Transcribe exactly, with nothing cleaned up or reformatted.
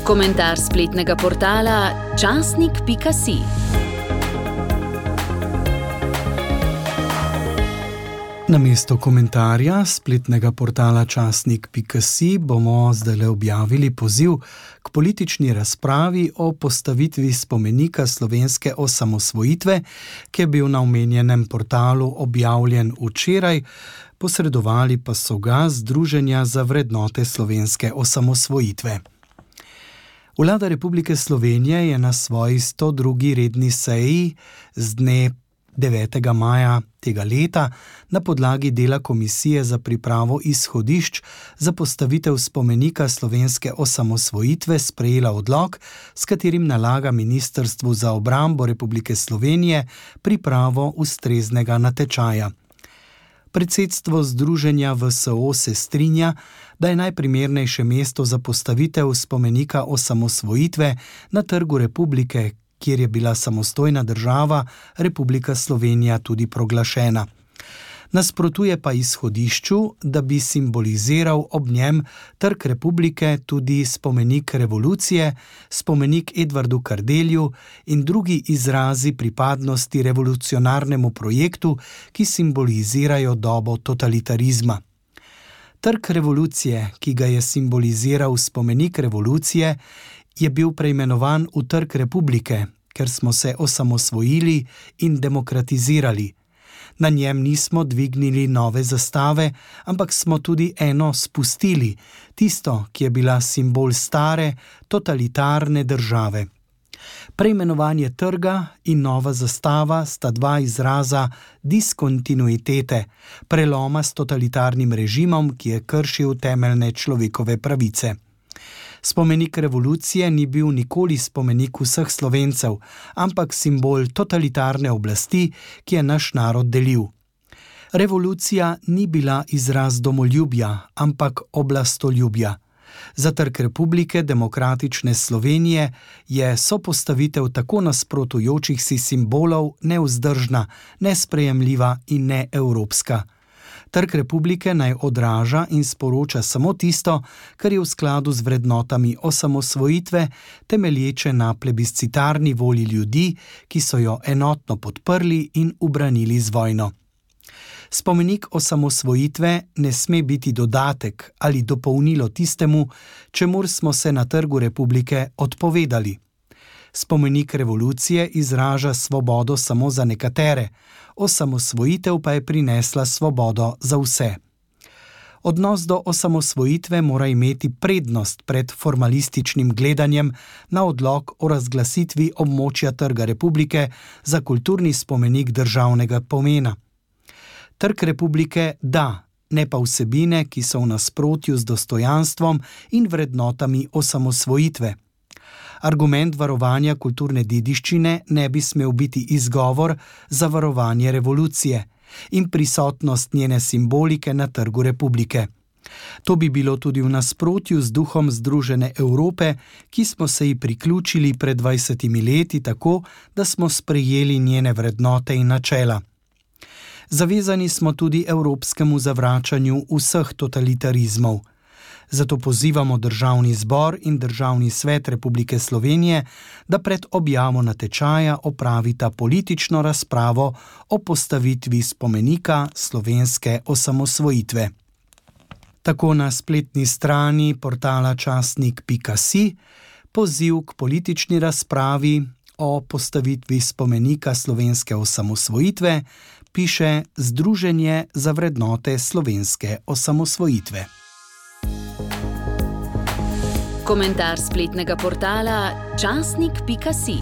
Komentar spletnega portala časnik pika si. Namesto komentarja spletnega portala časnik pika si bomo zdaj objavili poziv k politični razpravi o postavitvi spomenika slovenske osamosvojitve, ki je bil na omenjenem portalu objavljen včeraj, posredovali pa so ga Združenja za vrednote slovenske osamosvojitve. Vlada Republike Slovenije je na svoji sto drugi redni seji z dne devetega maja tega leta na podlagi dela Komisije za pripravo izhodišč za postavitev spomenika slovenske osamosvojitve sprejela odlok, s katerim nalaga Ministrstvu za obrambo Republike Slovenije pripravo ustreznega natečaja. Predsedstvo Združenja V S O se strinja, da je najprimernejše mesto za postavitev spomenika osamosvojitve na Trgu Republike, kjer je bila samostojna država Republika Slovenija tudi proglašena. Nasprotuje pa izhodišču, da bi simboliziral ob njem Trg Republike tudi spomenik revolucije, spomenik Edvardu Kardelju in drugi izrazi pripadnosti revolucionarnemu projektu, ki simbolizirajo dobo totalitarizma. Trg revolucije, ki ga je simboliziral spomenik revolucije, je bil preimenovan v Trg Republike, ker smo se osamosvojili in demokratizirali. Na njem nismo dvignili nove zastave, ampak smo tudi eno spustili, tisto, ki je bila simbol stare, totalitarne države. Preimenovanje trga in nova zastava sta dva izraza diskontinuitete, preloma s totalitarnim režimom, ki je kršil temeljne človekove pravice. Spomenik revolucije ni bil nikoli spomenik vseh Slovencev, ampak simbol totalitarne oblasti, ki je naš narod delil. Revolucija ni bila izraz domoljubja, ampak oblastoljubja. Za Trg Republike demokratične Slovenije je sopostavitev tako nasprotujočih si simbolov nevzdržna, nesprejemljiva in neevropska. Trg Republike naj odraža in sporoča samo tisto, kar je v skladu z vrednotami osamosvojitve, temelječe na plebiscitarni volji ljudi, ki so jo enotno podprli in ubranili z vojno. Spomenik osamosvojitve ne sme biti dodatek ali dopolnilo tistemu, čemur smo se na Trgu Republike odpovedali. Spomenik revolucije izraža svobodo samo za nekatere, osamosvojitev pa je prinesla svobodo za vse. Odnos do osamosvojitve mora imeti prednost pred formalističnim gledanjem na odlok o razglasitvi območja Trga Republike za kulturni spomenik državnega pomena. Trg Republike da, ne pa vsebine, ki so v nasprotju z dostojanstvom in vrednotami osamosvojitve. Argument varovanja kulturne dediščine ne bi smel biti izgovor za varovanje revolucije in prisotnost njene simbolike na Trgu Republike. To bi bilo tudi v nasprotju z duhom Združene Evrope, ki smo se ji priključili pred dvajsetimi leti tako, da smo sprejeli njene vrednote in načela. Zavezani smo tudi evropskemu zavračanju vseh totalitarizmov. Zato pozivamo Državni zbor in Državni svet Republike Slovenije, da pred objavo natečaja opravita politično razpravo o postavitvi spomenika slovenske osamosvojitve. Tako na spletni strani portala časnik pika si poziv k politični razpravi o postavitvi spomenika slovenske osamosvojitve piše Združenje za vrednote slovenske osamosvojitve. Komentar spletnega portala časnik pika si.